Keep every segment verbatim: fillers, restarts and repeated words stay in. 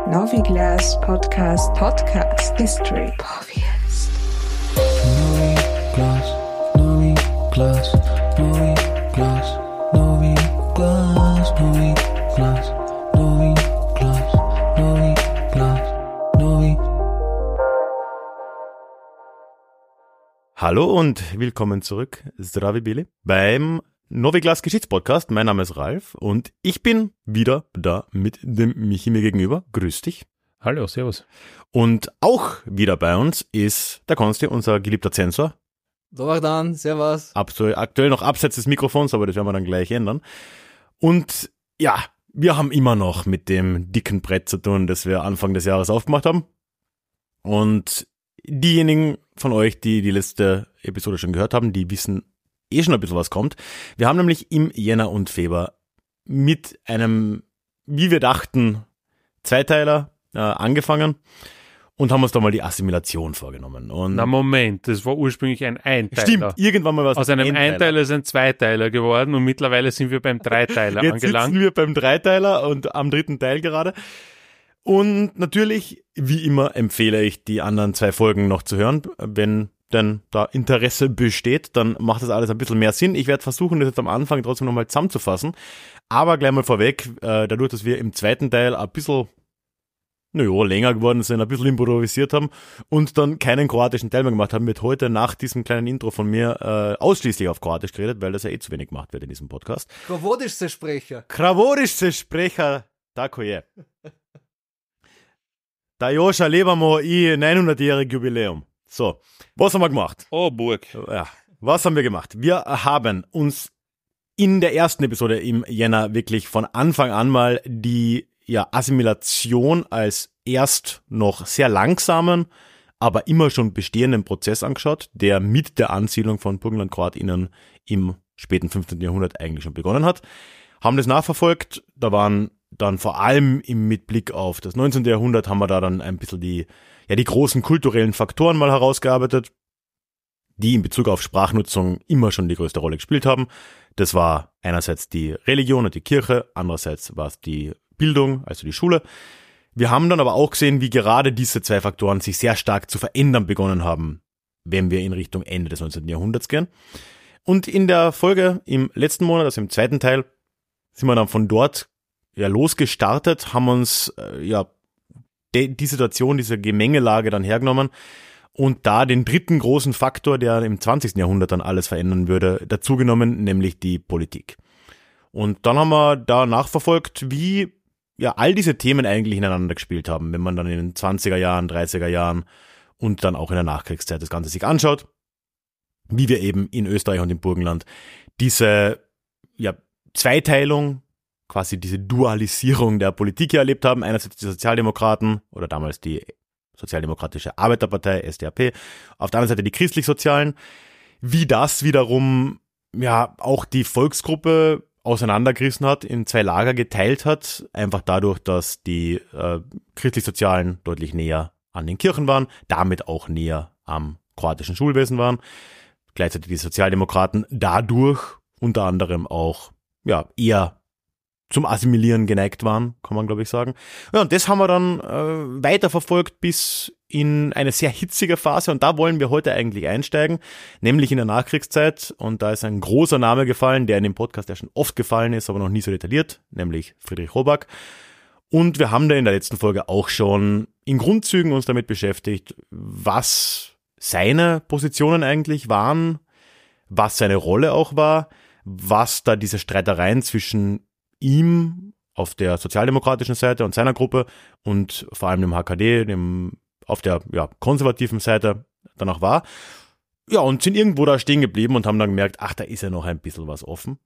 Noviglas Podcast Podcast History Podcast. Noviglas, Noviglas, Noviglas, Noviglas, Noviglas, Noviglas, Noviglas, Noviglas. Hallo und willkommen zurück, Zdravi Bili, beim Noviglas Geschichtspodcast. Mein Name ist Ralf und ich bin wieder da mit dem Michi mir gegenüber. Grüß dich. Hallo, servus. Und auch wieder bei uns ist der Konsti, unser geliebter Zensor. So, dann, servus. Aktuell, aktuell noch abseits des Mikrofons, aber das werden wir dann gleich ändern. Und ja, wir haben immer noch mit dem dicken Brett zu tun, das wir Anfang des Jahres aufgemacht haben. Und diejenigen von euch, die die letzte Episode schon gehört haben, die wissen eh schon ein bisschen, was kommt. Wir haben nämlich im Jänner und Februar mit einem, wie wir dachten, Zweiteiler äh, angefangen und haben uns da mal die Assimilation vorgenommen. Und Na Moment, das war ursprünglich ein Einteiler. Stimmt, irgendwann mal was. Aus einem Einteiler. Einteiler ist ein Zweiteiler geworden und mittlerweile sind wir beim Dreiteiler Jetzt angelangt. sitzen wir beim Dreiteiler und am dritten Teil gerade. Und natürlich, wie immer, empfehle ich, die anderen zwei Folgen noch zu hören, wenn denn da Interesse besteht, dann macht das alles ein bisschen mehr Sinn. Ich werde versuchen, das jetzt am Anfang trotzdem nochmal zusammenzufassen. Aber gleich mal vorweg, äh, dadurch, dass wir im zweiten Teil ein bisschen, naja, länger geworden sind, ein bisschen improvisiert haben und dann keinen kroatischen Teil mehr gemacht haben, wird heute nach diesem kleinen Intro von mir äh, ausschließlich auf Kroatisch geredet, weil das ja eh zu wenig gemacht wird in diesem Podcast. Kravodischste Sprecher. Kravodischste Sprecher, tako je. Da još lebamo i neunhundertjährig Jubiläum. So, was haben wir gemacht? Oh, Burg. Ja, was haben wir gemacht? Wir haben uns in der ersten Episode im Jänner wirklich von Anfang an mal die ja, Assimilation als erst noch sehr langsamen, aber immer schon bestehenden Prozess angeschaut, der mit der Ansiedlung von Burgenland-KroatInnen im späten fünfzehnten Jahrhundert eigentlich schon begonnen hat. Haben das nachverfolgt, da waren dann vor allem im mit Blick auf das neunzehnten Jahrhundert haben wir da dann ein bisschen die ja die großen kulturellen Faktoren mal herausgearbeitet, die in Bezug auf Sprachnutzung immer schon die größte Rolle gespielt haben. Das war einerseits die Religion und die Kirche, andererseits war es die Bildung, also die Schule. Wir haben dann aber auch gesehen, wie gerade diese zwei Faktoren sich sehr stark zu verändern begonnen haben, wenn wir in Richtung Ende des neunzehnten Jahrhunderts gehen. Und in der Folge im letzten Monat, also im zweiten Teil, sind wir dann von dort ja losgestartet, haben uns äh, ja die Situation, diese Gemengelage dann hergenommen und da den dritten großen Faktor, der im zwanzigsten Jahrhundert dann alles verändern würde, dazugenommen, nämlich die Politik. Und dann haben wir da nachverfolgt, wie ja all diese Themen eigentlich ineinander gespielt haben, wenn man dann in den zwanziger Jahren, dreißiger Jahren und dann auch in der Nachkriegszeit das Ganze sich anschaut, wie wir eben in Österreich und im Burgenland diese ja, Zweiteilung, quasi diese Dualisierung der Politik hier erlebt haben. Einerseits die Sozialdemokraten oder damals die Sozialdemokratische Arbeiterpartei, S D A P, auf der anderen Seite die Christlich-Sozialen. Wie das wiederum ja auch die Volksgruppe auseinandergerissen hat, in zwei Lager geteilt hat, einfach dadurch, dass die äh, Christlich-Sozialen deutlich näher an den Kirchen waren, damit auch näher am kroatischen Schulwesen waren. Gleichzeitig die Sozialdemokraten dadurch unter anderem auch ja eher zum Assimilieren geneigt waren, kann man glaube ich sagen. Ja, und das haben wir dann äh, weiterverfolgt bis in eine sehr hitzige Phase und da wollen wir heute eigentlich einsteigen, nämlich in der Nachkriegszeit und da ist ein großer Name gefallen, der in dem Podcast ja schon oft gefallen ist, aber noch nie so detailliert, nämlich Friedrich Roback. Und wir haben da in der letzten Folge auch schon in Grundzügen uns damit beschäftigt, was seine Positionen eigentlich waren, was seine Rolle auch war, was da diese Streitereien zwischen ihm auf der sozialdemokratischen Seite und seiner Gruppe und vor allem dem H K D, dem auf der ja, konservativen Seite danach war. Ja, und sind irgendwo da stehen geblieben und haben dann gemerkt, ach, da ist ja noch ein bisschen was offen.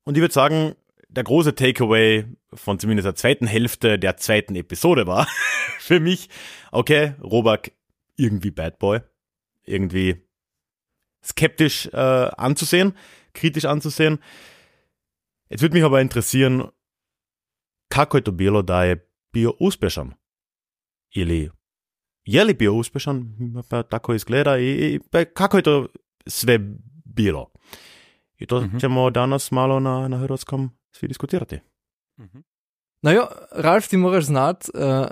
Und ich würde sagen, der große Takeaway von zumindest der zweiten Hälfte der zweiten Episode war für mich, okay, Roback irgendwie Bad Boy, irgendwie skeptisch äh, anzusehen, kritisch anzusehen. Jetzt würde mich aber interessieren, kako je to bilo da je bio uspešan? Ili je li bio uspešan? Pa tako izgleda i, i pa kako je to sve bilo? I to Mhm. ćemo danas malo na, na hrvatskom svi diskutirati. Mhm. Naja, Ralf, ti moraš znati, uh,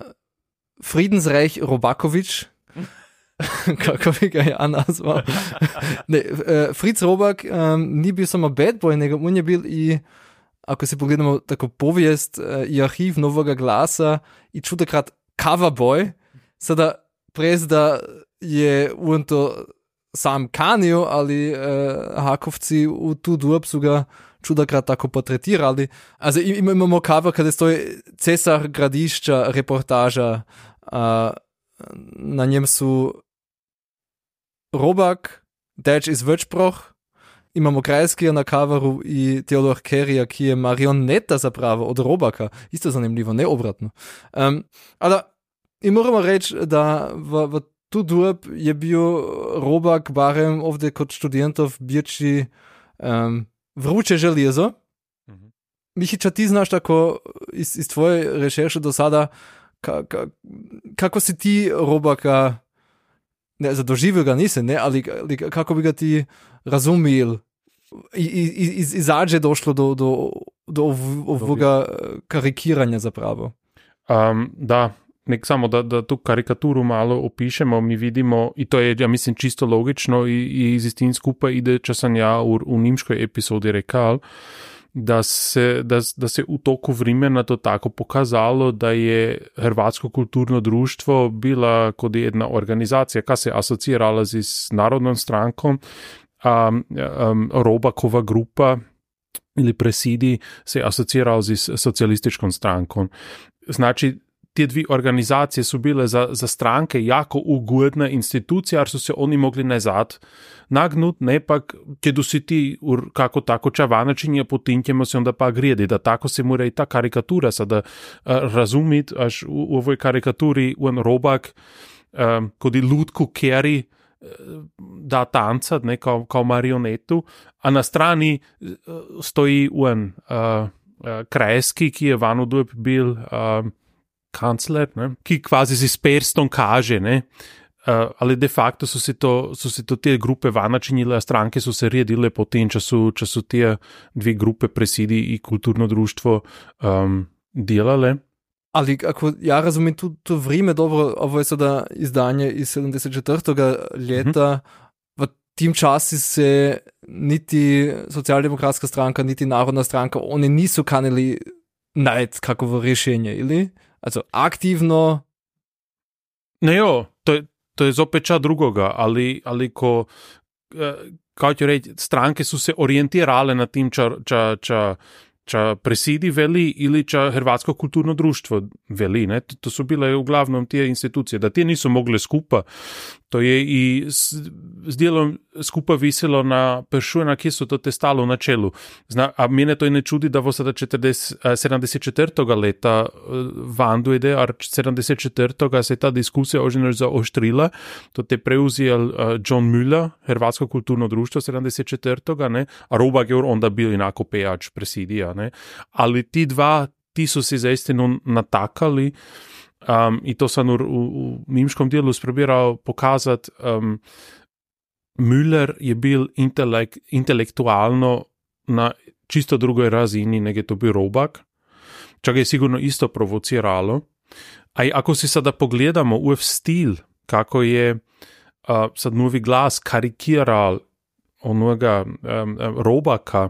Friedensreich Robakovič, kako bi ga ja nazval. ne, uh, Fritz Robak um, ni bil samo bad boy, nego on je bil i, ako se pogledamo tako povijest uh, i arhiv Novega glasa i čudakrat cover boy, sada prez da je on to sam kanio, ali uh, Hakovci u tu dob su ga čudakrat tako portretirali. Also imamo cover kada stoji Cesar Gradišća reportaža, uh, na njem su Robak, Deč iz Večproh, imamo Krajskija na coveru i Teodor Kerija, ki je marioneta zapravo od Robaka. Isto zanimljivo, ne obratno. Um, ali i moramo reći da v, v tu dob je bio Robak barem ovdje kod študentov bječi um, vruće željezo. Mm-hmm. Mihića, ti znaš tako iz, iz tvoje rešerše do sada ka, ka, kako si ti Robaka, ne, zadoživio ga nisi, ne, ali, ali kako bi ga ti razumil i, i, iz, izađe došlo do, do, do ov, ovoga karikiranja zapravo. Um, da, nek samo da, da tu karikaturu malo opišemo, mi vidimo, i to je, ja mislim, čisto logično i, i iz istin skupaj ide, če sam ja u, u nimškoj epizodi rekal, da se, da, da se u toku vremena to tako pokazalo, da je Hrvatsko kulturno društvo bila kot jedna organizacija, ka se asocirala z, z Narodnom strankom, um, um, Robakova grupa ili presidi se asocirala z socijalističkom strankom. Znači, te dvi organizacije su bile za, za stranke jako ugodne institucije, jer su se oni mogli nazad nagnut, ne pak, kada si ti kako tako čavanačinje, potem ćemo se onda pa grijedi, da tako se mora i ta karikatura sada uh, razumit, až u, u ovoj karikaturi on Robak um, kod i lutku keri uh, da tancat, ne, kao, kao marionetu, a na strani uh, stoji on uh, uh, Krajski, ki je vanu dob bil uh, kancler, ne, ki kvazi si s prstom kaže, ne, uh, ali de facto so se to, so se to te grupe vanačinile, a stranke so se redile potem, če so, če so te dve grupe presidi i kulturno društvo um, delale. Ali ako ja razumem tu, tu vrijeme dobro, ovo je sada izdanje iz sedemdeset četvrtega leta, mm-hmm. v tim časi se niti socijaldemokratska stranka, niti narodna stranka, oni nisu kanili najti kakovo rješenje, ili? Also aktivno. Ne jo, to je, to je zopet ča drugoga, ali, ali ko, kao ću reći, stranke su se orijentirale na tim ča, ča, ča, ča presidi veli ili ča Hrvatsko kulturno društvo veli, ne? To, to su bile uglavnom tije institucije, da tije nisu mogle skupa, to je i s, s dijelom skupa visilo na pršu, na kje su to te stalo na čelu. Zna, a mene to i ne čudi da vo sada sedamdeset četvrtega leta van dojde, a sedamdeset četvrtega se ta diskusija oženo zaoštrila, to te preuzijel uh, John Müller, Hrvatsko kulturno društvo sedamdeset četvrtega, ne, a Robak je onda bil inako pejač presidija, ne, ali ti dva, ti su se zaistinu natakali. Um, i to sam u, u, u nimškom dijelu sprobirao pokazati. um, Müller je bil intelekt, intelektualno na čisto drugoj razini nego je to bil Robak, čak je sigurno isto provociralo. A ako si sada pogledamo u stil, kako je uh, sad Novi glas karikiral onoga um, Robaka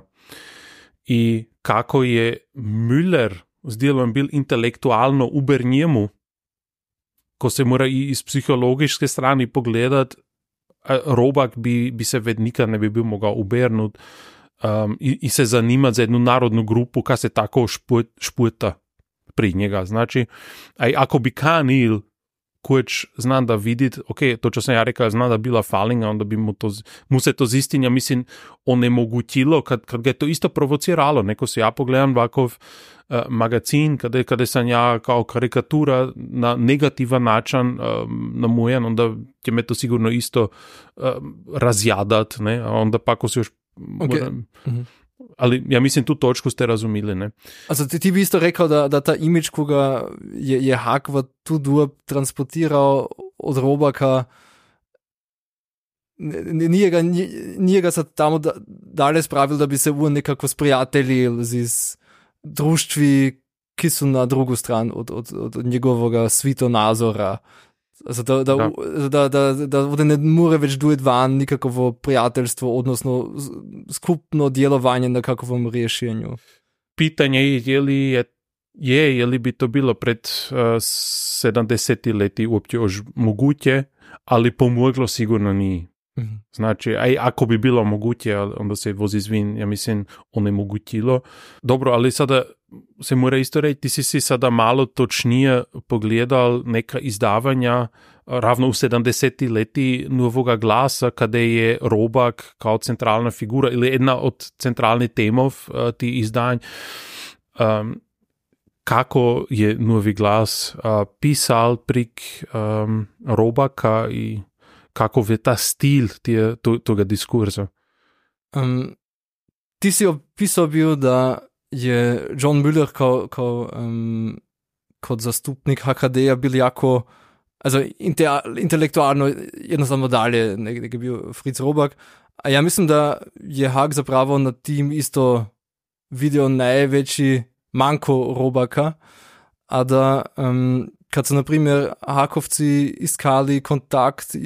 i kako je Müller s dijelom bil intelektualno uber njemu, ko se mora i iz psihologičke strani pogledat, Robak bi, bi se ved nikad ne bi bil mogao ubernut um, i, i se zanimati za jednu narodnu grupu, ka se tako šput, šputa pri njega. Znači, aj, ako bi kanil koč znam da vidit, ok, to čo sam ja rekao, znam da bila falinga, onda bi mu, to, mu se to zistinja, mislim, onemogućilo, kad, kad ga je to isto provociralo. Neko se ja pogledam ovakav uh, magazin, kada, kada sam ja kao karikatura na negativan način um, namujen, onda će me to sigurno isto um, razjadat, ne, a onda pa ako se još okay. mora, mm-hmm. Ali ja mislim tu točku ste razumili, ne? Also ti, ti bi isto rekao da, da ta imidž, koga je, je Hak v tu dob transportirao od Robaka, nije ga, nije ga sad tamo da, dalje spravil, da bi se on nekako sprijateljil z društvi, ki su na drugu stran od, od, od njegovega svitonazora. Also da, da, Da. da, da, da, da ovdje ne more več dujeti van nikakovo prijateljstvo, odnosno s- skupno djelovanje na kakovom rješenju. Pitanje je, je li je, je, je li bi to bilo pred uh, sedamdeset leti uopće još moguće, ali pomoglo sigurno nije. Mhm. Znači, aj ako bi bilo moguće, onda se vozi zvin, ja mislim, onemogućilo. Dobro, ali sada se mora isto reći, ti si si sada malo točnije pogledal neka izdavanja ravno u sedamdeset leti Novoga glasa, kada je Robak kao centralna figura ili jedna od centralnih temov uh, ti izdanj. Um, kako je Novi glas uh, pisal prik um, Robaka i kakov je ta stil tije, to, toga diskurza. Um, ti si opisal bil, da je John Müller kao, kao um, kot zastupnik H K D-ja bil jako, also inte, intelektualno jednostavno dalje nego je bil Fritz Robak. A ja mislim, da je Hak zapravo na tim isto vidio najveći manko Robaka, a da um, kad su, na primjer, Hakovci iskali kontakt uh,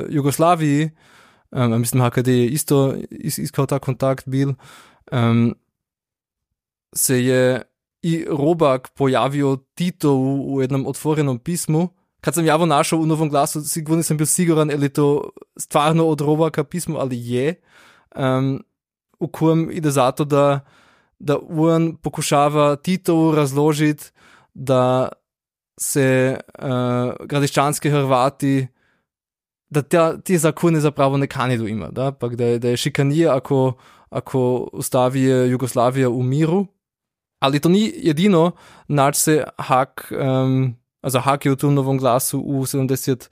Jugoslaviji, um, mislim, H K D je isto is, iskal ta kontakt bil, um, se je i Robak pojavio Titovu u jednom otvorenom pismu. Kad sam javo našao u Novom glasu, sigurno nisam bil siguran, je li to stvarno od Robaka pismo, ali je, um, u kojem ide zato, da, da on pokušava Titovu razložiti, da se uh, gradiščanski Hrvati, da ta, ti zakone zapravo ne kanidu ima, da, pa da je, da je šikanije, ako, ako ustavi Jugoslavija u miru, ali to ni jedino, nač se Hak, um, also Hak je v tom Novom glasu u sedemdeset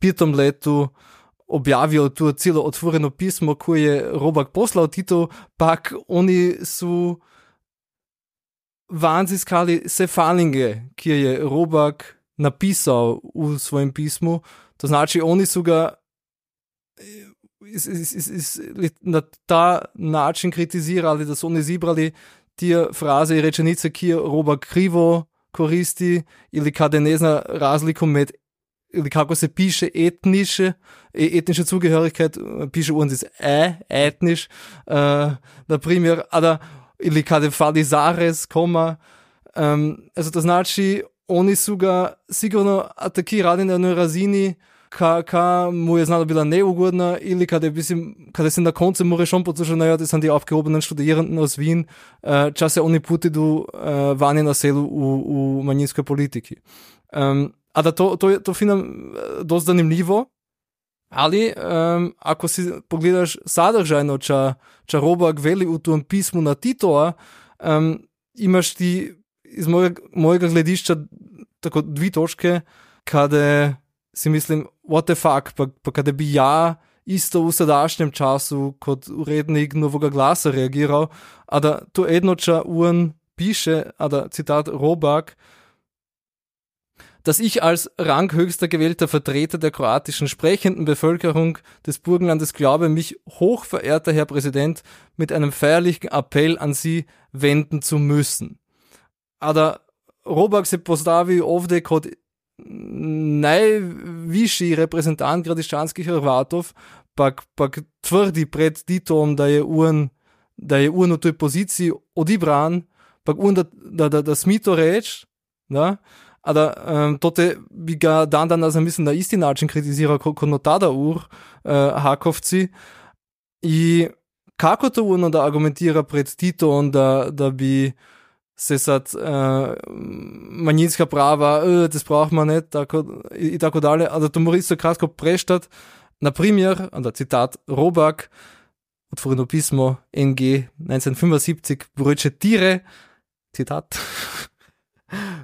petem letu objavio tu cijelo otvoreno pismo koje je Robak poslao Tito, pak oni su van ziskali se falinge, ki je Robak napisao u svojem pismu. To znači, oni su ga is, is, is, is, na ta način kritizirali, da su oni zibrali tije fraze i rečenice, ki je Robak krivo koristi, ili kada ne zna razliku med, ili kako se piše etnische, etnische Zugehörigkeit, piše uns ist e, etnisch, uh, na primjer, ada, ili kada fali zarez, koma, um, also to znači, oni su ga sigurno atakirali na jednoj razini, ka, ka mu je znala bila neugodna, ili kada, je, mislim, kada se na koncu more schon poslušao, naja, das sind die aufgehobenen Studierenden aus Wien, uh, čas se oni putidu uh, vani na selu u, u manjinskoj politiki. Um, a da to, to, to finam dosta zanimljivo, ali um, ako si pogledaš sadržajno, ča, ča Robak veli u tom pismu na Titova, um, imaš ti iz mojega, mojega gledišča tako dvi točke, kada si mislim, what the fuck, pa, pa kada bi ja isto u sadašnjem času kot urednik Novoga glasa reagiral, a da to jednoča on piše, a da citat Robak, dass ich als ranghöchster gewählter Vertreter der kroatischen sprechenden Bevölkerung des Burgenlandes glaube, mich, hochverehrter Herr Präsident, mit einem feierlichen Appell an Sie wenden zu müssen. A da Robak se postavi ovdje kot najvišji reprezentant gradiščanskih Hrvatov, pak, pak tvrdi pred Titom, da je on, da je on v toj poziciji odibran, pak on da, da, da, da smi to reći, da, a da um, tote bi ga dan danas, mislim, na isti način kritizirao kot no tada ur uh, Hakovci i kako to ono da argumentira pred Titom, da, da bi se sad uh, manjinska prava, uh, das braucht man nicht, tako, i, i tako dalje, a da to mora isto kratko preštat. Na primjer, a da citat Robak, otvoreno pismo N G neunzehnhundertfünfundsiebzig, Brötche Tiere, Zitat,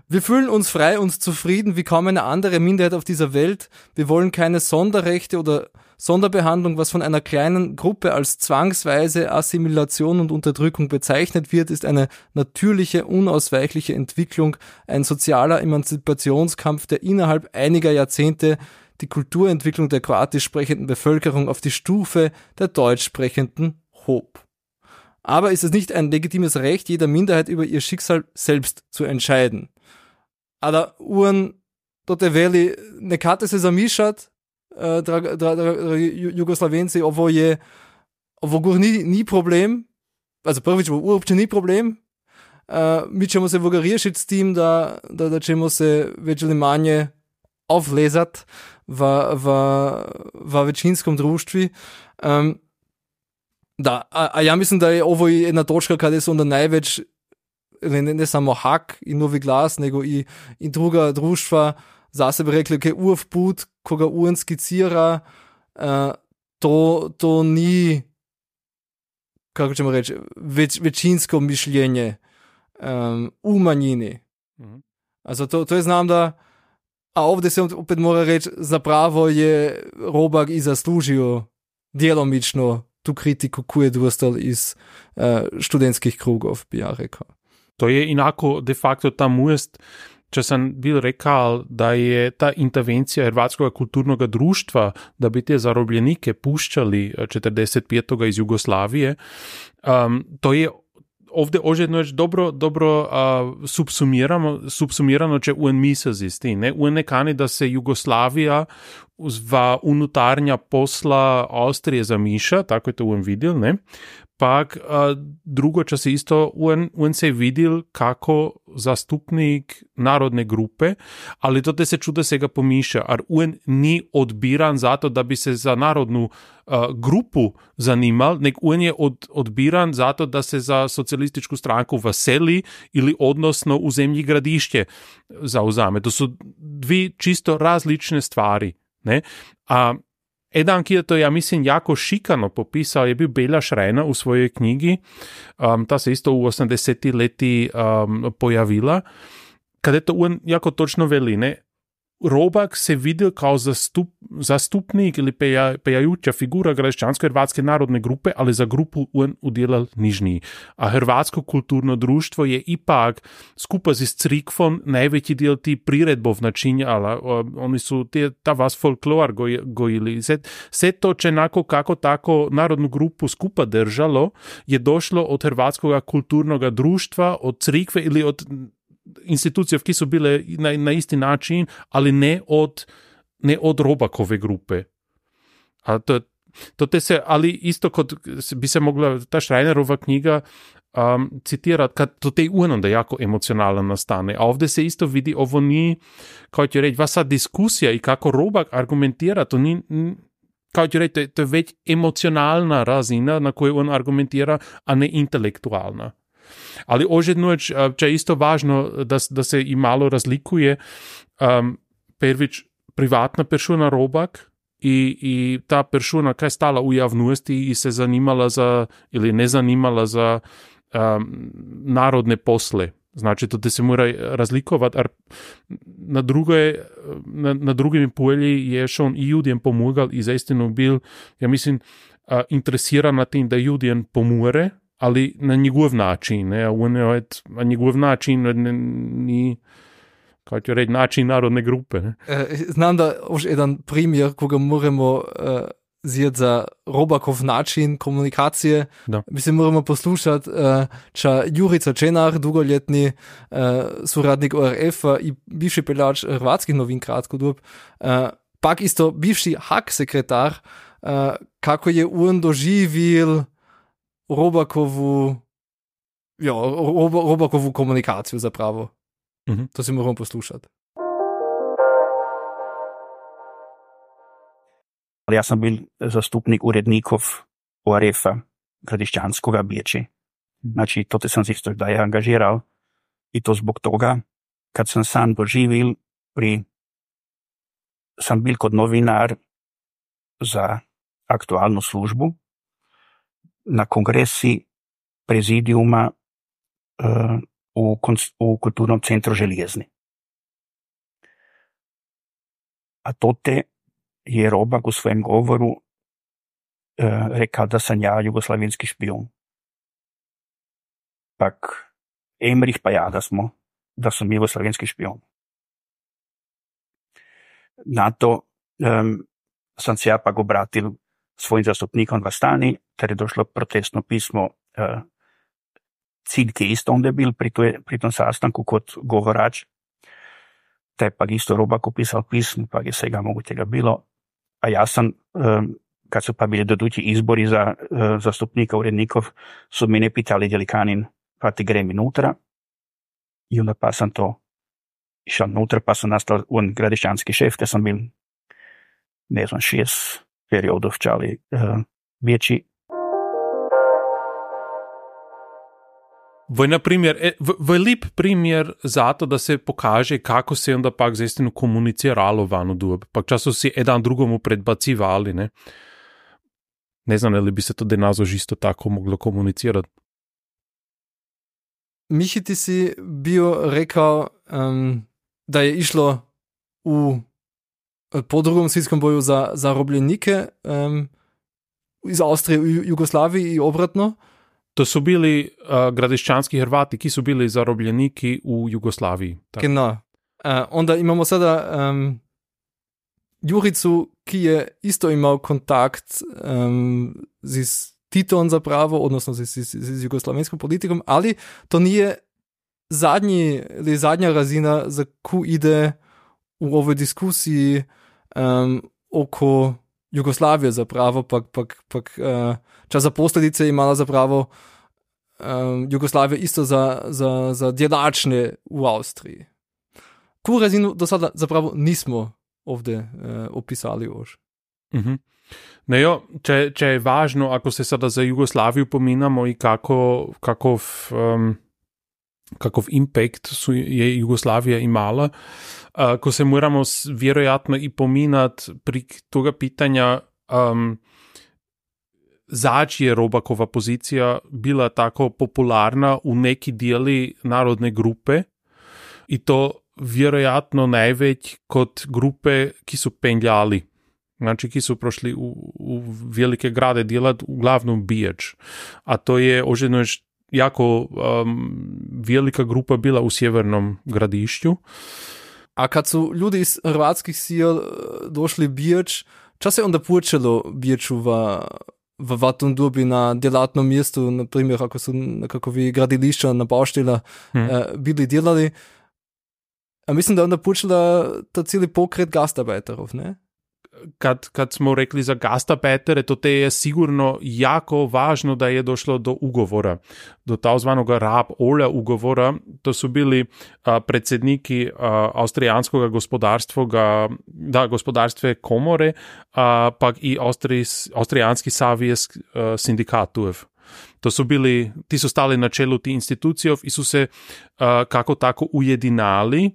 wir fühlen uns frei und zufrieden wie kaum eine andere Minderheit auf dieser Welt. Wir wollen keine Sonderrechte oder Sonderbehandlung. Was von einer kleinen Gruppe als zwangsweise Assimilation und Unterdrückung bezeichnet wird, ist eine natürliche, unausweichliche Entwicklung, ein sozialer Emanzipationskampf, der innerhalb einiger Jahrzehnte die Kulturentwicklung der kroatisch sprechenden Bevölkerung auf die Stufe der deutsch sprechenden hob. Aber ist es nicht ein legitimes Recht jeder Minderheit über ihr Schicksal selbst zu entscheiden? Aber uren tote veli, nekate se zamišljati, uh, draga, draga, draga Jugoslavenci, ovo je, ovo gur ni, ni problem, also prvič, ovo uopće ni problem, uh, mi ćemo se voga riješiti s tim, da, da, da ćemo se več ali manje auflezat v, v, v većinskom društvi. Um, da, a, a ja mislim, da je ovo jedna točka kada se onda največ, ne, ne samo Hak i Novi Glas, nego i, i druga društva za sebe rekli, ok, urv put, koga uren skicira, uh, to, to ni, kako ćemo reći, več, većinsko mišljenje um, u manjini. Mhm. Also to, to je znam da, a ovdje se opet mora reći, zapravo je Robak i zaslužio djelomično tu kritiku, koju je dostal iz uh, študentskih krugov, bi ja rekao. To je inako de facto ta must, če sem bil rekal, da je ta intervencija hrvatskega kulturnega društva, da bi te zarobljenike puščali četrdeset petega iz Jugoslavije, um, to je ovdje ožedno je dobro, dobro uh, subsumirano, subsumirano, če un misel zisti. Ne? Un nekani, da se Jugoslavija v unutarnja posla Avstrije zamiša, tako je to un videl, ne? Pak uh, drugo, če se isto un, un se videl kako zastupnik narodne grupe, ali to te se čuda se ga pomiša, ar un ni odbiran zato, da bi se za narodnu uh, grupu zanimal, nek un je od, odbiran zato, da se za socialističku stranku veseli ili odnosno v zemlji gradišće zauzame. To su dvi čisto različne stvari. Ne? A Jedan, ki je to, ja mislim, jako šikano popisal, je bil Bela Šrena v svojej knjigi, um, ta se isto v osemdesetih leti um, pojavila, kada je to on jako točno veli, ne? Robak se videl kao zastup, zastupnik ili peja, pejajuća figura građansko-hrvatske narodne grupe, ali za grupu on udjelal nižniji. A hrvatsko kulturno društvo je ipak skupa z crikvom najveći dio ti priredbov načinjala. Oni su te, ta vas folklor goj, gojili. Sve to čenako kako tako narodnu grupu skupa držalo je došlo od hrvatskog kulturnog društva, od crikve ili od institucije, ki so bile na, na isti način, ali ne od, ne od Robakove grupe. A to, to te se, ali isto kot bi se mogla ta Šrajnerova knjiga um, citirati, kad to te onda jako emocionalno nastane. A ovdje se isto vidi, ovo ni, kao ću reći, vasa diskusija i kako Robak argumentira, to ni, kao ću reći, to je, to je već emocionalna razina na kojoj on argumentira, a ne intelektualna. Ali ožedno, če je isto važno, da, da se i malo razlikuje, um, prvič privatna persona Robak i, i ta persona, kaj je stala u javnosti i se zanimala za, ili ne zanimala za um, narodne posle. Znači, to da se mora razlikovati, ar na, druge, na, na drugim polji je on i ljudjem pomagal i zaistinu bil, ja mislim, uh, interesiran na tim da ljudjem pomore, ali na njegov način, ne, a, je, a njegov način ne, ni, kako ću reći, način narodne grupe. Ne. Znam da už jedan primjer, koga moramo uh, zjeti za Robakov način komunikacije, da. Mislim, moramo poslušati, uh, ča Jurica Čenar, dugoljetni uh, suradnik O R F-a i bivši peljač hrvatskih novin kratko dob, uh, pak isto bivši Hak sekretar, uh, kako je on doživil Robakovu, ja, Rob, Robakovu komunikaciju zapravo. Mm-hmm. To si moramo poslušati. Ja sam bil zastupnik urednikov O R F-a gradišćanskoga Biječi. Znači, to te sam se isto da je angažiral i to zbog toga, kad sam sam doživil pri, sam bil kod novinar za aktualnu službu na kongresi prezidijuma uh, u, u Kulturnom centru Željezni. A to te je Robak u svojem govoru uh, rekao da sam ja jugoslavenski špijun. Pak Emrih pa ja da smo, da sam jugoslavenski špijun. Na to um, sam se ja pak obratil svojim zastupnikom v Astani, ter je došlo protestno pismo uh, Cilj isto onda je bil pri, toj, pri tom sastanku kot govorač. Taj pak isto Robak upisal pismo, pak je svega mogućega bilo. A ja sam, um, kad su pa bili dodući izbori za uh, zastupnika urednikov, su mene pitali je li kanin pa ti grem unutra. I onda pa sam to išao unutra, pa sam nastao on gradišćanski šef, te sam bil, ne znam, šest periodov čali uh, vječi. V, na primjer, v, v lep primjer za to, da se pokaže, kako se onda pak zaistinu komuniciralo vanu dob. Pak často si jedan drugomu predbacivali, ne? Ne znam, ali bi se to denazo isto tako moglo komunicirati. Michi, ti si bio rekao um, da je išlo u po drugom svjetskom boju za zarobljenike um, iz Austrije u Jugoslaviji i obratno. To su bili uh, gradišćanski Hrvati, ki su bili zarobljeniki u Jugoslaviji. Tako. Genau. Uh, onda imamo sada um, Juricu, ki je isto imao kontakt um, z Titom zapravo, odnosno z, z, z jugoslavenskom politikom, ali to nije zadnji, ili zadnja razina, za koju ide u ovoj diskusiji um, oko Jugoslavije zapravo, pak, pak, pak uh, čas za posljedice imala zapravo um, Jugoslavije isto za, za, za djelačne u Austriji. Koju razinu do sada zapravo nismo ovdje uh, opisali još. Mhm. No jo, če, če je važno, ako se sada za Jugoslaviju pominamo i kako, kakov, um, kakov impact su je Jugoslavija imala, uh, ko se moramo vjerojatno i pominat pri toga pitanja um, zač je Robakova pozicija bila tako popularna u neki dijeli narodne grupe i to vjerojatno najveć kod grupe ki su penjali. Znači, ki su prošli u, u velike grade djelat uglavnom Biječ. A to je ožedno jako um, velika grupa bila u sjevernom gradišću. A kad su ljudi iz hrvatskih sil došli Biječ, čas je onda počelo Biječu v, v vatom dobi na djelatnom mjestu, na primjer, ako su nekakvi gradilišća na Bauštela hmm. eh, bili djelali. A mislim da je onda počela ta cijeli pokret gastarbeiterov, ne? Kad, kad smo rekli za gastarbeiter, to te je sigurno jako važno da je došlo do ugovora, do takozvanog Raab-Ohler ugovora. To su bili a, predsjedniki a, austrijanskog gospodarstva, da, gospodarstve komore, a, pak i Austrijs, Austrijanski savez sindikatov. To su bili, ti su stali na čelu ti institucijov i su se a, kako tako ujedinali,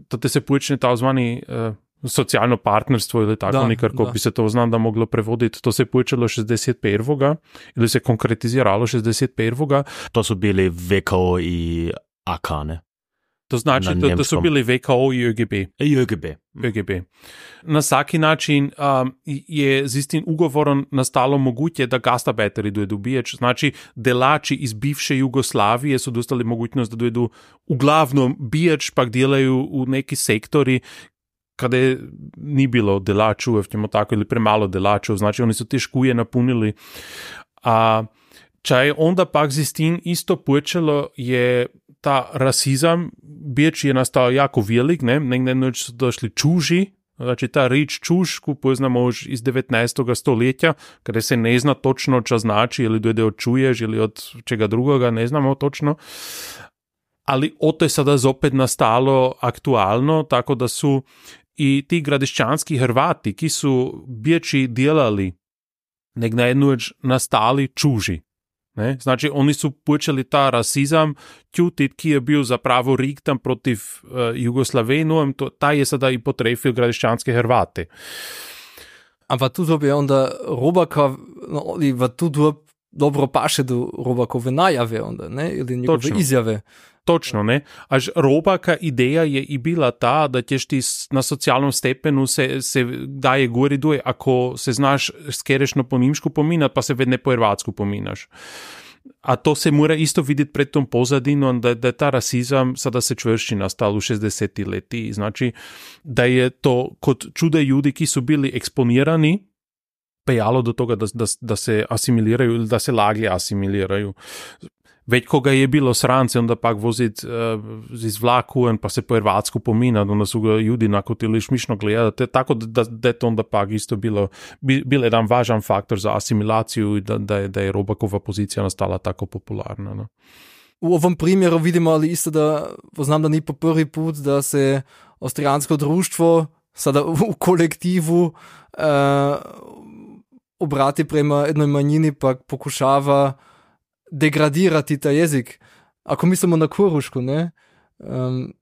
to te se počne takozvani a, socijalno partnerstvo ili tako da, nekako da. bi se to znam da moglo prevoditi. To se je počelo šezdeset prvega ili se konkretiziralo šezdeset prvega. To su bili V K O i A K, ne? To znači, to, to su bili V K O i Ö G B. I Ö G B. Ö G B. Na svaki način um, je z istim ugovorom nastalo moguće da gastarbeiteri dojedu Biječ. Znači, delači iz bivše Jugoslavije su dostali mogućnost da dojedu uglavnom Biječ, pak djelaju u neki sektori kada je ni bilo delačov, tako, ili premalo delačov, znači oni su te škuje napunili. A čaj onda pak z tim isto počelo je ta rasizam, Biječ je nastao jako velik, ne, negdje noć su došli čuži, znači ta rič čuž, ko poznamo už iz devetnaestog stoletja, kada se ne zna točno čo znači, ili dojde od čuješ, ili od čega drugoga, ne znamo točno. Ali o to je sada zopet nastalo aktualno, tako da su i ti gradišćanski Hrvati, ki su Biječi djelali, nek na jednu već nastali čuži. Ne? Znači, oni su počeli ta rasizam tjutit, ki je bil zapravo riktan protiv uh, Jugoslavenu, to, taj je sada i potrefil gradišćanske Hrvate. A v tu dobi je onda Robaka, no, ali v tu dobi dobro paše do Robakove najave onda, ne? Ili njegove Točno. izjave. Točno, ne? Až Robaka ideja je i bila ta, da ćeš ti na socijalnom stepenu se, se daje gori duje, ako se znaš skerešno po nimšku pominat, pa se vedne po hrvatsku pominaš. A to se mora isto vidjeti pred tom pozadinom, da, da je ta rasizam sada se čvršći nastal u šezdesetih leti. Znači, da je to kod čude ljudi, ki su bili eksponirani, pejalo do toga da, da, da se asimiliraju ili da se laglje asimiliraju. već koga je bilo srance, onda pak vozit uh, iz vlaku pa se po Hrvatsku pominat, onda su ga ljudi nakotili šmišno gledati, tako da, da je to onda pak isto bilo, bi, bil jedan važan faktor za asimilaciju i da, da, je, da je Robakova pozicija nastala tako popularna. No. U ovom primjeru vidimo ali isto da, poznam da ni po prvi put da se Avstrijansko društvo sada u kolektivu uh, obrati prema jednoj manjini pa pokušava degradirati ta jezik. Ako mislimo na Korušku, ne? Um,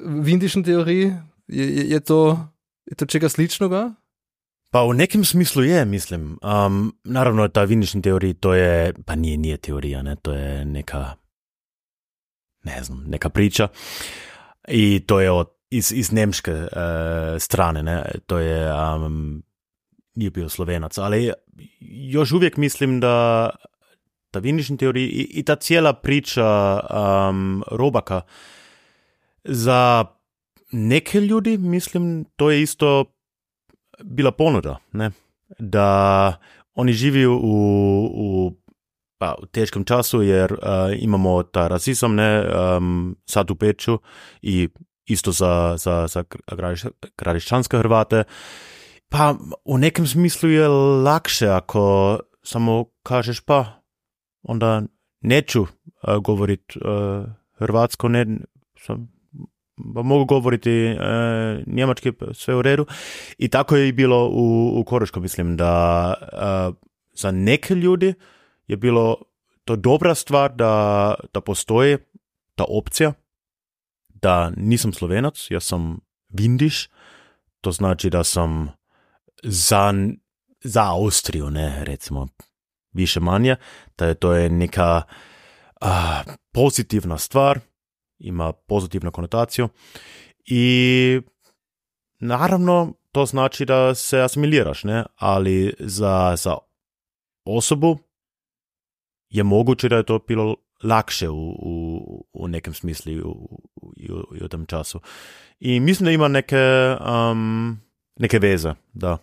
v indični teoriji je, je, je, to, je to čega sličnoga? Pa u nekim smislu je, mislim. Um, naravno, ta v indični teoriji to je, pa nije, nije teorija, ne? To je neka, ne znam, neka priča. I to je od, iz, iz nemške uh, strane, ne? To je, um, nije bio Slovenac, ali još uvijek mislim da ta v indični teoriji i, i ta cijela priča um, Robaka za neke ljudi, mislim, to je isto bila ponuda, ne? Da oni živi u, u, pa, u teškom času jer uh, imamo ta rasizam, ne, um, sad u Peču i isto za, za, za kradišćanske Hrvate. Pa u nekem smislu je lakše ako samo kažeš pa onda neću uh, govoriti uh, hrvatsko, ne, sam, mogu govoriti uh, njemački, sve u redu. I tako je i bilo u, u Koruško, mislim, da uh, za neke ljudi je bilo to dobra stvar da, da postoji ta opcija, da nisam Slovenac, ja sam Vindiš, to znači da sam za, za Austriju, ne, recimo, više manje, da to je neka a, pozitivna stvar, ima pozitivnu konotaciju i naravno to znači da se asimiliraš, ne, ali za, za osobu je moguće da je to bilo lakše u, u, u nekem smislu i u, u, u, u tom času. I mislim da ima neke, um, neke veze, da.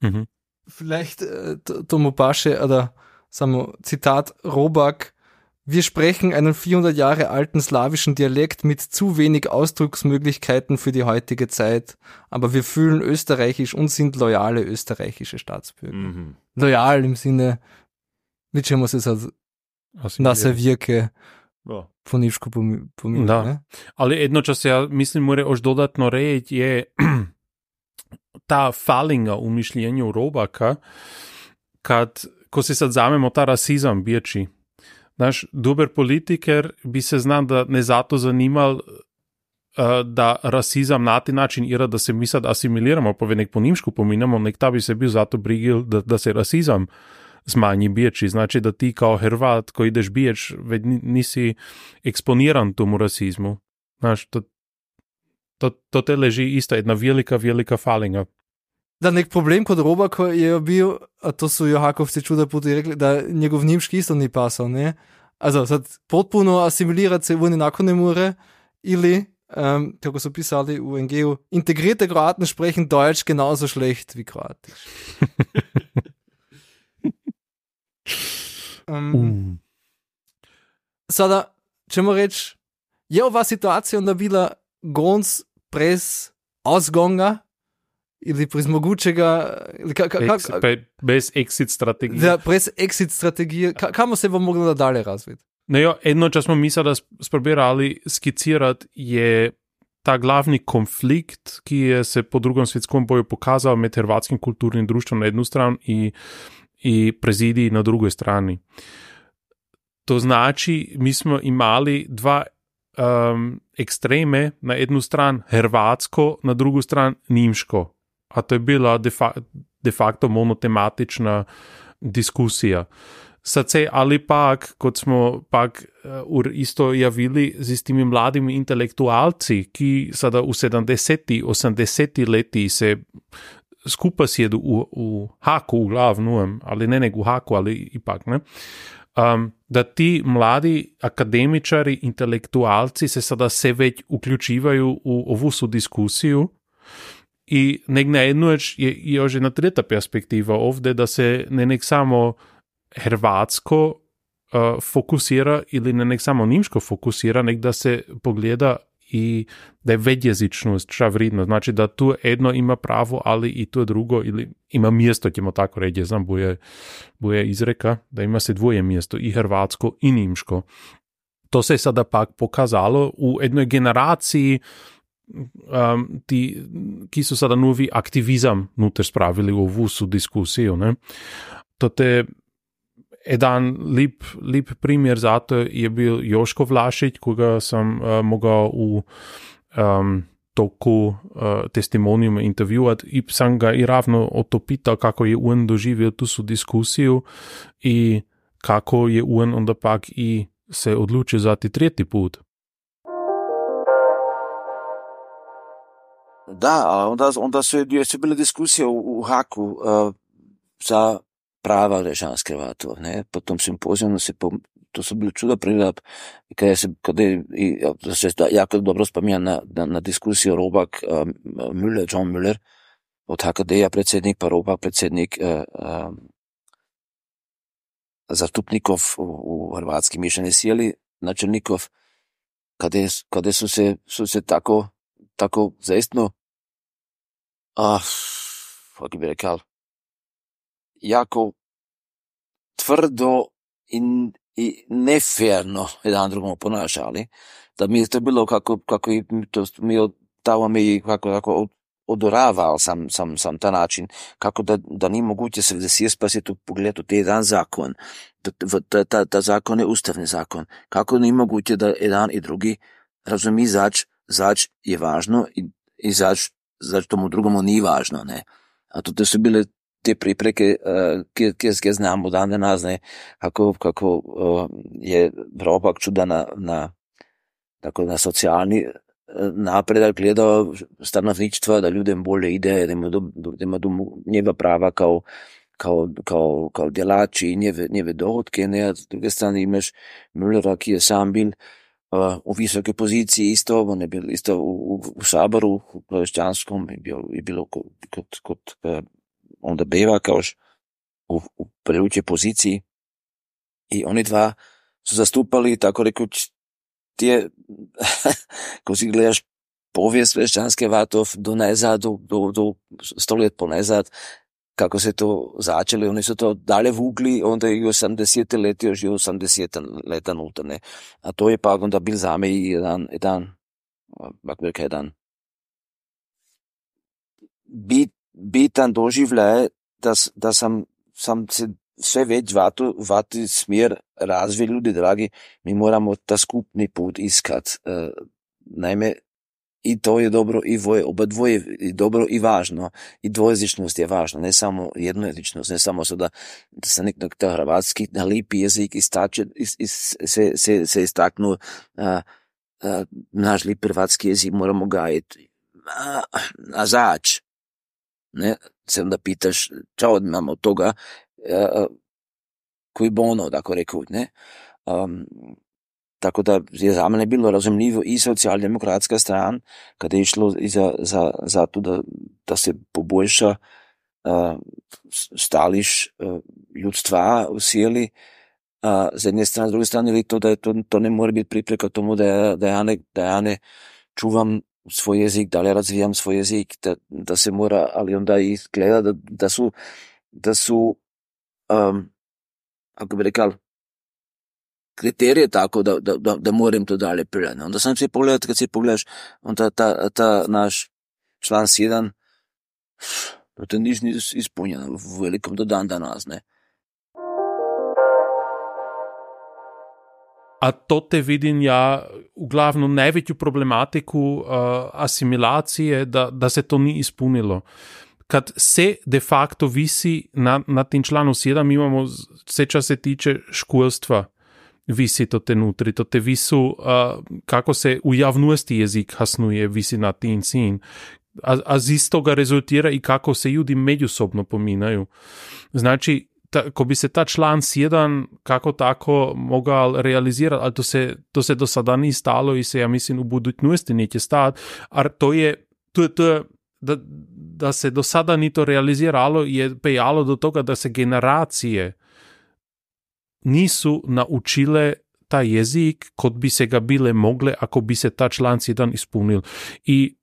Mhm. Vielleicht, to, to mu pasche, oder samo Zitat Robak, wir sprechen einen vierhundert Jahre alten slawischen Dialekt mit zu wenig Ausdrucksmöglichkeiten für die heutige Zeit, aber wir fühlen österreichisch und sind loyale österreichische Staatsbürger. Mhm. Loyal im Sinne, mit čemu se sad na sevijeke ja. poniško pominje. Da, ne? ali jedno čo se ja mislim more još dodatno reći je ta falinga u mišljenju Robaka, kad, ko se sad zamemo ta rasizam biječi. Znaš, dober politiker bi se znam da ne zato zanimal uh, da rasizam na taj način ira da se mi sad asimiliramo, pa nek po nimšku pominjamo, nek ta bi se bil zato brigil da, da se rasizam smanji biječi. Znači da ti kao Hrvat koji ideš bijeć, već nisi eksponiran tomu rasizmu. Znaš, to To, to te leži ista jedna velika, velika falinga. Da, nek problem kod Robaka je bil, a to su Johakovci čuda puti rekli, da njegov nimški isto ni pasal, ne? Also, sad potpuno asimilirati se oni nakon ne more, ili, um, kako so pisali v en ge u, integrierte Kroaten sprechen Deutsch genauso schlecht wie Kroatisch. um, uh. Sada, ćemo reći, je ova situacija onda bila gonc prez ausgonga ili prez mogućega ili ka, ka, Ex, ka, bez exit strategije. Da, prez exit strategije. Ka, kamo se bo moglo nadalje razviti? No jo, jedno čas smo mi sada sprobirali skicirati je ta glavni konflikt, ki je se po drugom svjetskom boju pokazal med hrvatskim kulturnim društvom na jednu stranu i, i prezidiji na drugoj strani. To znači, mi smo imali dva Um, ekstreme, na jednu stran hrvatsko, na drugu stran nimško. A to je bila de, fa- de facto monotematična diskusija. Sad se, ali pak, kot smo pak uh, isto javili z tými mladimi intelektualci, ki sada v sedemdesetih, osemdesetih leti se skupaj sjedu u, u haku, u glavnujem, ali ne nek u haku, ali ipak, ne? Um, da ti mladi akademičari, intelektualci se sada se već uključivaju u ovu su diskusiju i nek na jednu je još jedna treta perspektiva ovdje, da se ne nek samo hrvatsko uh, fokusira ili ne nek samo nimško fokusira, nek da se pogleda i da je vedjezičnost šta vridno. Znači da tu jedno ima pravo, ali i to drugo, ili ima mjesto, ćemo tako reći, znam, buje, buje izreka, da ima se dvoje mjesto, i hrvatsko i nimško. To se je sada pak pokazalo u jednoj generaciji um, ti, ki su sada novi aktivizam nuter spravili u ovu su diskusiju. Ne? To te jedan lip, lip primjer za to je bil Joško Vlašić, koga sam uh, mogao u um, toku uh, testimonijuma intervjuati i sam ga i ravno o to pitao kako je on doživio tu su diskusiju i kako je on onda pak i se odlučio za ti tretji put. Da, a onda, onda su, su bile diskusije u, u Haku uh, za prava građanskih Hrvatov, ne, po tom simpozijumu se, po, to su bili čuda prilap, kada se, kada je, i, da se da, jako dobro spomnjam na, na, na diskusiju Robak, um, Müller, John Müller, od H K D-a predsjednik, pa Robak predsjednik uh, um, zastupnikov u, u hrvatski mišljeni sjeli, načelnikov, kada, je, kada su se, su se tako, tako zaistno, ah, kako bi rekao, jako tvrdo i, i neferno jedan drugom ponašali, da mi je to bilo kako, kako i to mi tamo mi kako, kako odoraval sam, sam, sam ta način, kako da, da ni moguće se desiti pa se tu pogledati te jedan zakon, ta, ta, ta zakon je ustavni zakon, kako ni moguće da jedan i drugi razumi zač, zač je važno i, i zač, zač tomu drugomu nije važno, ne. A to su bile te pripreke, uh, kje znamo dan danas, ne, kako, kako uh, je Robak čuda na, na, tako, na socijalni napredak gledao stanovništva, da ljudem bolje ide, da ima, do, da ima do njeva prava kao, kao, kao, kao djelači i njeve, njeve dohodke, ne, a s druge strane imaš Müllera, ki je sam bil uh, u visoke poziciji isto, on je bil isto u, u, u Saboru, u Plošćanskom, je bilo, je bilo kod, kod, kod uh, onda beva kaoš u, u preuče poziciji i oni dva su zastupali, tako rekuć, tije, ko si gledaš povijest Plošćanske Vatov do nezad, do, do, do sto let po nezad, kako se to začeli, oni su to dalje vukli, onda i osamdesete leti, još i osamdesete leta nutane. A to je pa onda bil zame i jedan, jedan, kako bi rekao, jedan bit, bitan doživljaj, da, da sam, sam se sve već vatu, vati smjer razvij, ljudi dragi, mi moramo ta skupni put iskat. E, naime, i to je dobro, i dvoje, oba dvoje je dobro i važno, i dvojezičnost je važna, ne samo jednojezičnost, ne samo so da, da se nek ta hrvatski na lipi jezik istače, is, is, se, se, se istaknu, a, a, naš lip hrvatski jezik moramo gajiti, a, a zač, ne, se onda pitaš, čao imamo od toga, a, koji bono, tako rekao, ne, um, tako da je za mene bilo razumljivo i socijaldemokratska stran, kada je išlo i za, za, za to, da, da se poboljša uh, stališ uh, ljudstva u sjeli, uh, z jedne strane, z druge strane, ili to, da je to, to ne mora biti pripreka tomu, da ja, da ja, ne, da ja ne čuvam svoj jezik, da li razvijam svoj jezik, da, da se mora, ali onda i gleda, da, da su, da su um, ako bi rekao, kriterije tako, da, da, da, da moram to dalje prijeti. Onda sam se pogledao, kad se pogledaš, onda ta, ta naš član sedam, to niš ni ispunjeno u velikom do dan danas, ne. A to te vidim ja uglavnom najveću problematiku uh, asimilacije, da, da se to ni ispunilo. Kad se de facto visi na, na tim članu sedam, imamo vse, čas se tiče školstva, visi to te nutri, to te visu, uh, kako se u javnosti jezik hasnuje, visi na tim sin. A, a z istoga rezultira i kako se ljudi međusobno pominaju. Znači, ta, ko bi se ta član sedam kako tako mogao realizirati, ali to se, to se do sada ni stalo i se, ja mislim, u budućnosti neće stati, a to je, to, to je da, da se do sada ni to realiziralo, je pejalo do toga da se generacije nisu naučile ta jezik kot bi se ga bile mogle ako bi se ta članak jedan ispunil. I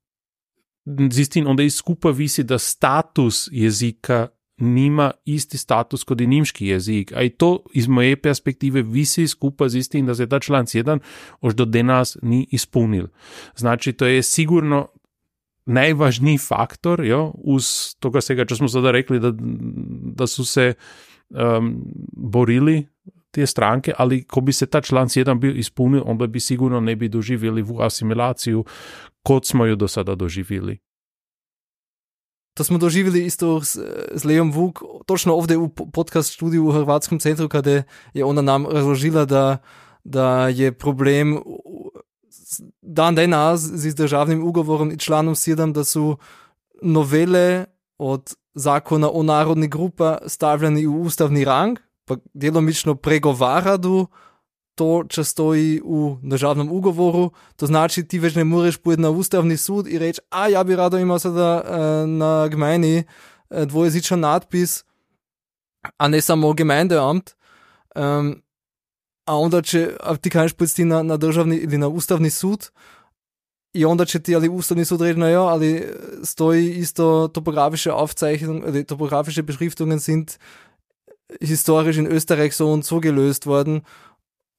zistin, onda i skupa visi da status jezika nima isti status kod i nimški jezik, a i to iz moje perspektive visi skupa zistin da se ta članak jedan još do danas ni ispunil. Znači, to je sigurno najvažniji faktor, jo, uz toga svega, čo smo sada rekli, da, da su se um, borili te stranke, ali ko bi se ta članak jedan bil ispunil, onda bi sigurno ne bi doživjeli vu asimilaciju, kot smo ju do sada doživjeli. To smo doživjeli isto s, s Leom Vuk, točno ovdje u podcast studiju u Hrvatskom centru, kada je ona nam razložila, da, da je problem dan danas z državnim ugovorom i članom sedem, da su novele od zakona o narodnih grupa stavljeni u ustavni rang, pa djelomično pregovaradu to, čo stoji u državnom ugovoru, to znači ti već ne moreš pojeti na ustavni sud i reći, a ja bi rado imao sada uh, na gmajni uh, dvojezičan natpis, a ne samo Gemeindeamt, um, a onda će, a ti kažeš pojeti na, na državni ili na ustavni sud, i onda će ti ali ustavni sud reći, no ja, ali stoji isto topografische Aufzeichnungen, also topografische Beschriftungen sind historisch in Österreich so und so gelöst worden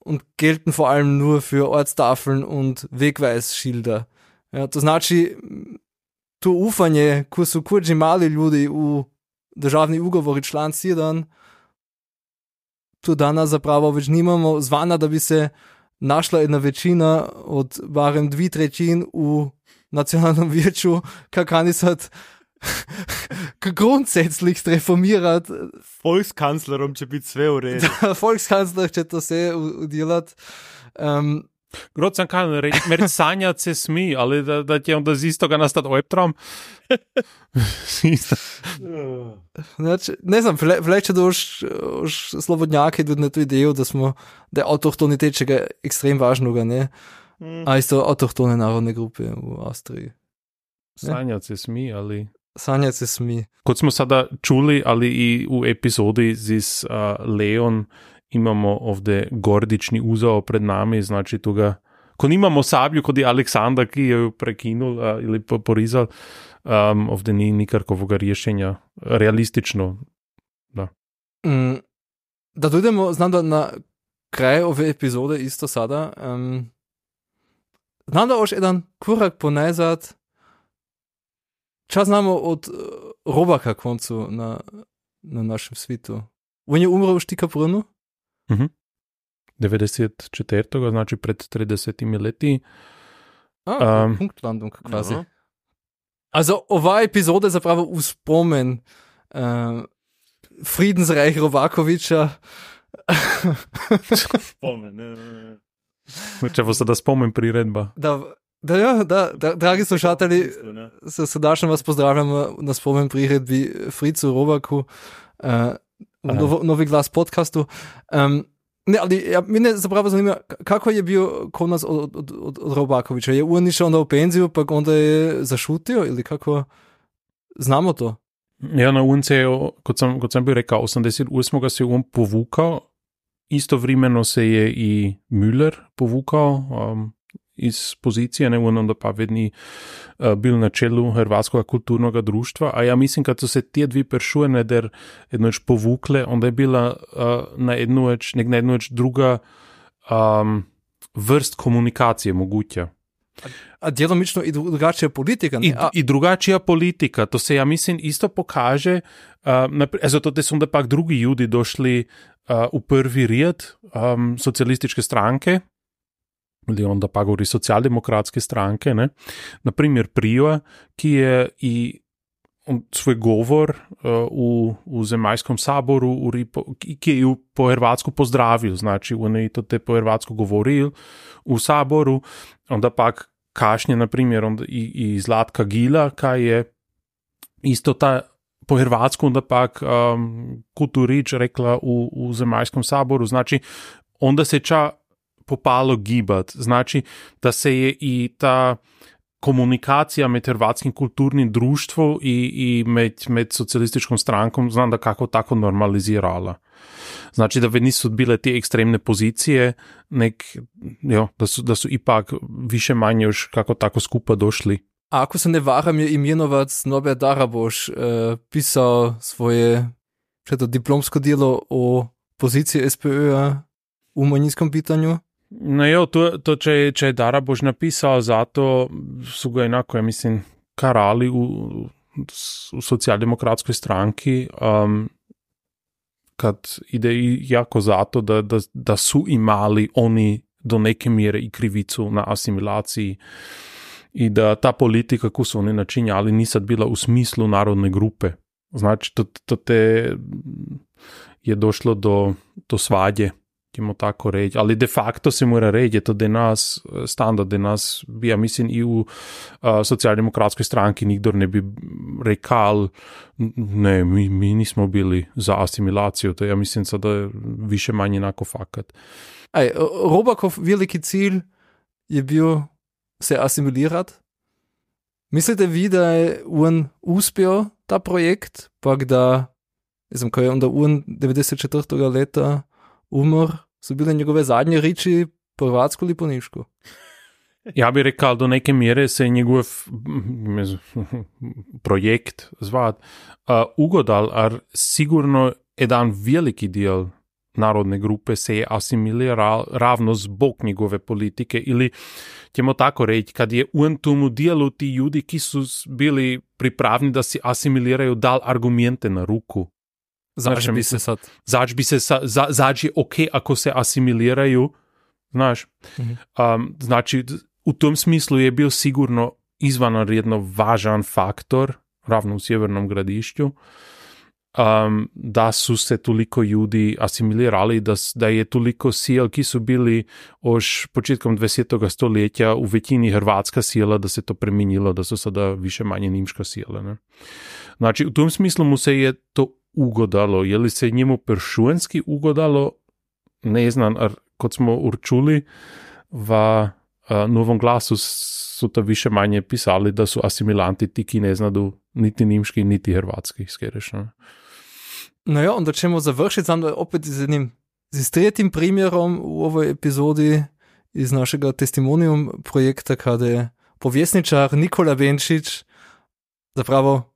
und gelten vor allem nur für Ortstafeln und Wegweisschilder. Ja, to znači, to ufanje, ko su kurđi mali ljudi u državni ugovori član sedem, to danas zapravo već nimamo, zvana da bi se našla jedna većina od barem dvi trećin u nacionalnom vijeću, kakani sad grundsätzlich reformirat. Volkskanclerom će biti sve u redu. Volkskancler će to sve udjelat. Um, Grad sam kan reći, mer sanjat se smi, ali da, da će onda z istoga nastat Albtraum. Znači, ne znam, vielleicht će doš, doš slobodnjaki tudi na tu ideju, da smo, da je autohtonitet čega ekstrem važnoga, ne? Mm. A isto autohtone narodne grupe u Austriji. Sanjat se smi, ali... Sanjat se smi. Kot smo sada čuli, ali i u epizodi z uh, Leon imamo ovdje gordični uzao pred nami, znači toga, ko nimamo sablju, kod je Aleksandar, ki je ju prekinul uh, ili porizal, um, ovdje ni nikarkovoga rješenja, realistično, da. Mm, da dojdemo, znam da na kraj ove epizode isto sada, um, znam da još jedan korak ponazad, čas znamo od uh, Robaka koncu na, na našem svitu. On je umro u Štikabrunnu? Mhm. devedeset četiri. znači pred tridesetimi leti. A, um, Punktlandung quasi. No. Also, ova epizoda je zapravo u spomen uh, Friedensreich Rovakovića. Spomen, ne, ne, ne. Če bo sada spomen priredba. Da, da, ja, da, da, dragi slušatelji, se srdačno vas pozdravljamo na spomen priredbi Fricu Rovaku, uh, u novo, Novi glas podcastu. Um, ne, ali ja, mene zapravo zanima, kako je bio konac od, od, od, od Robakovića? Je on išao onda u penziju, pa onda je zašutio ili kako? Znamo to? Ja, na on se je, kot sem, kot sem bil rekel, osemdeset osem se je on povukal, istovremeno se je i Müller povukal um, iz pozicije, ne, on onda pa vedni uh, bil na čelu Hrvatskega kulturnoga društva, a ja mislim, kad so se te dvi peršuje der jednoč povukle, onda je bila uh, na jednoč, nek na jednoč druga um, vrst komunikacije moguća. A, a djelomično i drugačija politika, ne? I, A... I drugačija politika, to se ja mislim isto pokaže, uh, napr- zato te su onda pak drugi ljudi došli uh, u prvi rijed um, socijalističke stranke, ili onda pa govori socijaldemokratske stranke, ne? Naprimjer Prijoa, ki je i svoj govor uh, u, u Zemaljskom saboru, u Ripo, ki je ju po hrvatsku pozdravil, znači on je to te po hrvatsku govoril u saboru, onda pak kašnje, naprimjer, onda i, i Zlatka Gila, kaj je isto ta po hrvatsku onda pak um, Kuturić rekla u, u Zemaljskom saboru, znači onda se ča popalo gibat, znači da se je i ta komunikacija med hrvatskim kulturnim društvom i, i med, med socijalističkom strankom, znam da kako tako normalizirala. Znači da nisu bile te ekstremne pozicije, nek, jo, da, su, da su ipak više manje još kako tako skupa došli. A ako se ne varam, je imenovac Norbert Daraboš uh, pisao svoje to, diplomsko djelo o poziciji es pe ö-a u manjinskom pitanju. No jo, to, to če, če je Daraboš napisao, zato su ga enako, ja mislim, karali u, u socijaldemokratskoj stranki, um, kad ide i jako zato da, da, da su imali oni do neke mjere i krivicu na asimilaciji i da ta politika koju su oni načinjali nisad bila u smislu narodne grupe. Znači, to, to te je došlo do, do svađe, ćemo tako reći, ali de facto se mora reći, to da nas standard, da nas, ja mislim i u uh, socijaldemokratskoj stranki nikdor ne bi rekal, ne, mi, mi nismo bili za asimilaciju, to ja mislim sada je više manje onako fakat. Aj, Robakov veliki cilj je bio se asimilirat. Mislite vi, da je on uspio ta projekt, pak da, ne znam, ko je onda on devedeset četvrtega leta umor, su bile njegove zadnje riči po hrvatsku ili po nišku? Ja bi rekao, do neke mjere se njegov projekt zvat uh, ugodal, ar sigurno jedan veliki dijel narodne grupe se je asimiliral ravno zbog njegove politike ili ćemo tako reći, kad je u tomu dijelu ti ljudi ki su bili pripravni da se asimiliraju dal argumente na ruku. Zač bi se sad? Zač bi se sa, za, zač je ok ako se asimiliraju, znaš. Mm-hmm. Um, znači, u tom smislu je bio sigurno izvanredno važan faktor, ravno u Sjevernom Gradišću, um, da su se toliko ljudi asimilirali, da, da je toliko sil, ki su bili još početkom dvadesetega stoljetja u većini hrvatska sila, da se to preminilo, da su sada više manje nimška sila. Ne? Znači, u tom smislu mu se je to ugodalo. Je li se njemu peršuenski ugodalo? Ne znam, ar kot smo určuli v uh, Novom glasu su to više manje pisali da su asimilanti ti, ki ne znadu niti nimški, niti hrvatski, skereš. Ne? No ja, onda ćemo završiti sam opet z jednim z tretjim primjerom u ovoj epizodi iz našega testimonium projekta, kada je povjesničar Nikola Benčić zapravo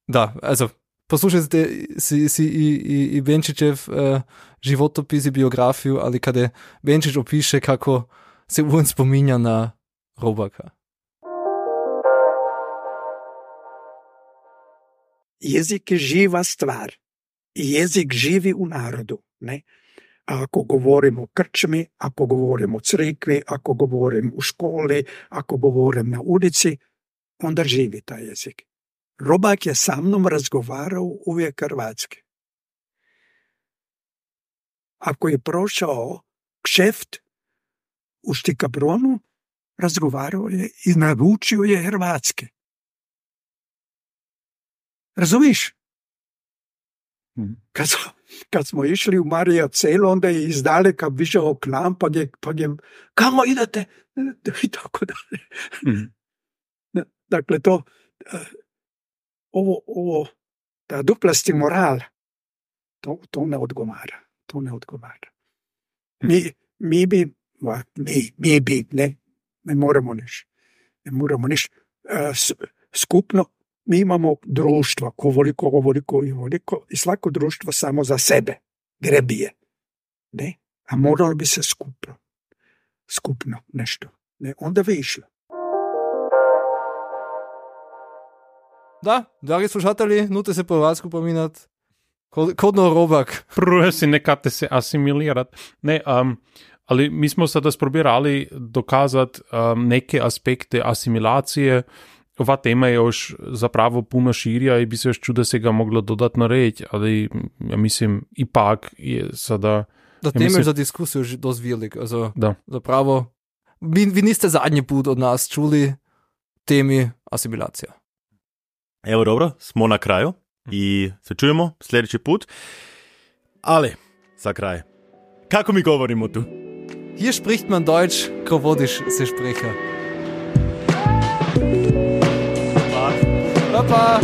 da, also poslušajte si, si i, i, i Benčićev uh, životopis i biografiju, ali kada Benčić opiše kako se on spominja na Robaka. Jezik je živa stvar i jezik živi u narodu. Ne? Ako govorim o krčmi, ako govorim o crkvi, ako govorim u školi, ako govorim na ulici, onda živi taj jezik. Robak je sa mnom razgovarao uvijek hrvatski. Ako je prošao kšeft u Štikabronu, razgovarao je i naučio je hrvatski. Razumiš? Kad, kad smo išli u Marija Celo, onda je izdaleka višao k nam, pa je, pa je kamo idete? I tako dalje. Mm. Dakle, to ovo, ovo ta duplasti moral, to, to ne odgovara. To ne odgovara. Mi, mi bi, mi, mi bi, ne, ne moramo niš. Ne moramo niš. Skupno, mi imamo društvo, kovoliko, ovoliko i ovoliko, i svako društvo samo za sebe grebije. Ne? A moralo bi se skupno. Skupno nešto. Ne? Onda bi išlo. Da, dragi slušatelji, nute se po hrvatsku pominat. Kodno Robak. Prvo si nekate se asimilirat. Ne, um, ali mi smo sada sprobirali dokazati um, neke aspekte asimilacije. Ova tema je još zapravo puno širja i bi se još čuda se ga moglo dodatno reći, ali ja mislim ipak je sada... Da, ja tema mislim, je za diskusiju dost velik. Also, da. Zapravo, vi, vi niste zadnji put od nas čuli temi asimilacija. Evo dobro, smo na kraju i se čujemo sljedeći put. Ali, za kraj, kako mi govorimo tu? Hier spricht man Deutsch, ko vodiš se sprecha. Papa.